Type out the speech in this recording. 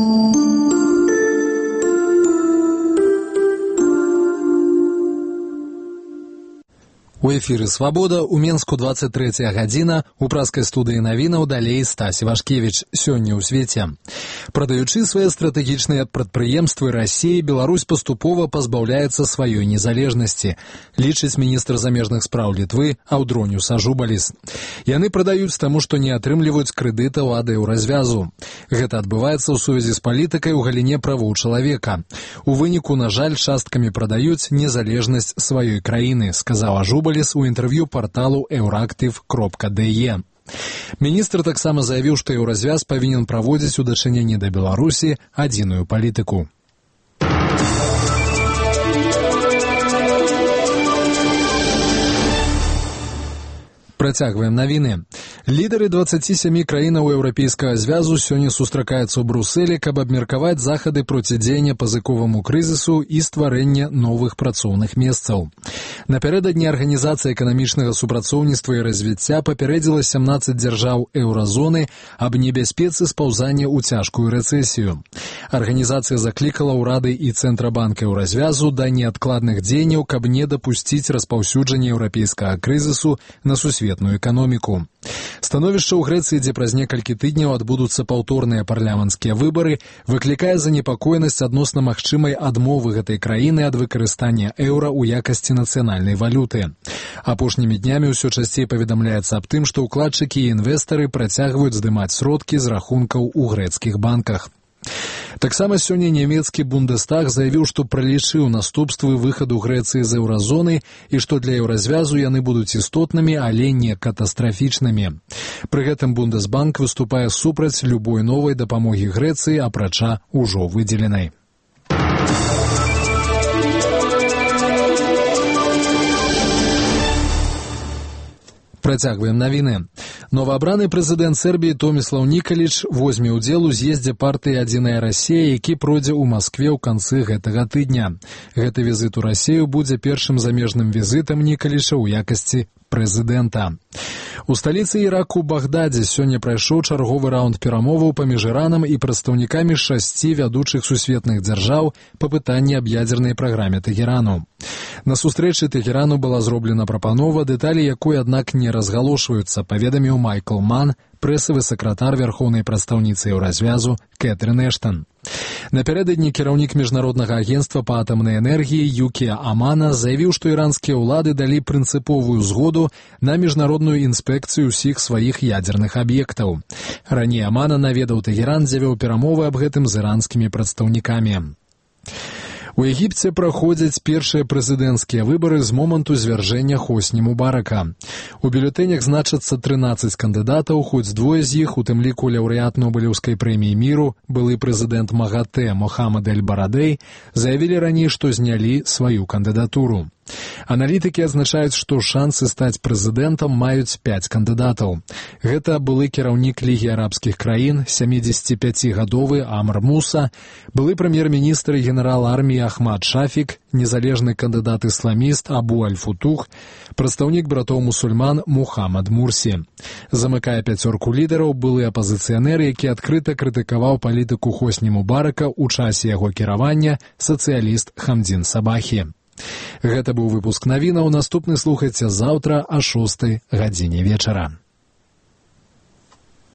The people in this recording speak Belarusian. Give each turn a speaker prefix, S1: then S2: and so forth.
S1: У эфіры «Свабода», у Менску 23 гадзіна, у праскай студыі навінаў далей Стась Івашкевіч. Сёння ў свеце. Прадаючы свае стратэгічныя прадпрыемствы Расіі, Беларусь паступова пазбаўляецца сваёй незалежнасці, лічыць міністр замежных спраў Літвы Аўдроніус Ажубаліс. Яны прадаюць таму, што не атрымліваюць крэдытаў ад еўразвязу. Гэта адбываецца ў сувязі з палітыкай у галіне правоў чалавека. У выніку, на жаль, часткамі прадаюць незалежнасць сваёй краіны, сказаў Ажубаліс у інтэрв'ю парталу euractiv.de. Міністр таксама заявіў, што еўразвяз павінен праводзіць у дачыненні да Беларусі адзіную палітыку. Працягваем навіны. Лідары 27 краінаў Еўрапейскага звязу сёння сустракаюцца ў Брусэлі, каб абмеркаваць захады процідзеяння пазыковаму крызісу і стварэння новых працоўных месцаў. Напярэдадні Арганізацыя эканамічнага супрацоўніцтва і развіцця папярэдзіла 17 дзяржаў еўразоны аб небяспецы спаўзання ў цяжкую рэцэсію. Арганізацыя заклікала ўрады і Цэнтрабанк еўразвязу да неадкладных дзеянняў, каб не дапусціць распаўсюджання еўрапейскага крызісу на сусветную эканоміку. Становішча ў Грэцыі, дзе праз некалькі тыдняў адбудуцца паўторныя парламенцкія выбары, выклікае занепакоенасць адносна магчымай адмовы гэтай краіны ад выкарыстання еўра ў якасці нацыянальнай валюты. Апошнімі днямі ўсё часцей паведамляецца аб тым, што ўкладчыкі і інвестары працягваюць здымаць сродкі з рахункаў у грэцкіх банках. Таксама сёння нямецкі Бундестаг заявіў, што пралічыў наступствы выхаду Грэцыі з еўразоны і што для еўразвязу яны будуць істотнымі, але не катастрафічнымі. Пры гэтым Бундесбанк выступае супраць любой новай дапамогі Грэцыі, апрача ўжо выдзеленай. Працягваем навіны. Новаабраны прэзідэнт Сербіі Томіслаў Нікаліч возьме ўдзел у з'ездзе партыі «Адзіная Расія», які пройдзе ў Маскве ў канцы гэтага тыдня. Гэты візіт у Расію будзе першым замежным візітам Нікаліча ў якасці прэзідэнта. У сталіцы Іраку Багдадзе сёння прайшоў чарговы раунд перамоваў паміж Іранам і прадстаўнікамі 6 вядучых сусветных дзяржаў па пытанні аб ядзернай праграме Тэхерану. На сустрэчы Тэхерану была зроблена прапанова, дэталі якой, аднак, не разгалошваюцца, паведаміў Майкл Ман, прэсавы сакратар вярхоўнай прадстаўніцы еўразвязу Кэтрын Эштан. Напярэдадні кіраўнік міжнароднага агенцтва па атамнай энергіі Юкія Амана заявіў, што іранскія ўлады далі прынцыповую згоду на міжнародную інспекцыю ўсіх сваіх ядзерных аб'ектаў. Раней Амана наведаў Тэхеран, дзе вёў перамовы аб гэтым з іранскімі прадстаўнікамі. У Егіпце праходзяць першыя прэзідэнцкія выбары з моманту звяржэння Хосні Мубарака. У бюлетэнях значацца 13 кандыдатаў, хоць двое з іх, у тым ліку лаўрэат Нобелеўскай прэміі міру, былы прэзідэнт МАГАТЭ Мохаммад Эль-Барадэй, заявілі раней, што знялі сваю кандыдатуру. Аналітыкі адзначаюць, што шансы стаць прэзідэнтам маюць 5 кандыдатаў. Гэта былы кіраўнік Лігі арабскіх краін, 75-гадовы Амр Муса, былы прэм'ер-міністр і генерал арміі Ахмад Шафік, незалежны кандыдат-ісламіст Абу Аль-Футух, прадстаўнік братоў-мусульман Мухаммад Мурсі. Замыкае 5 лідараў былы апазіцыянер, які адкрыта крытыкаваў палітыку Хосні Мубарака ў часе яго кіравання, сацыяліст Хамдзін Сабахі. Гэта быў выпуск навінаў. Наступны слухайце заўтра о 6 гадзіне вечара.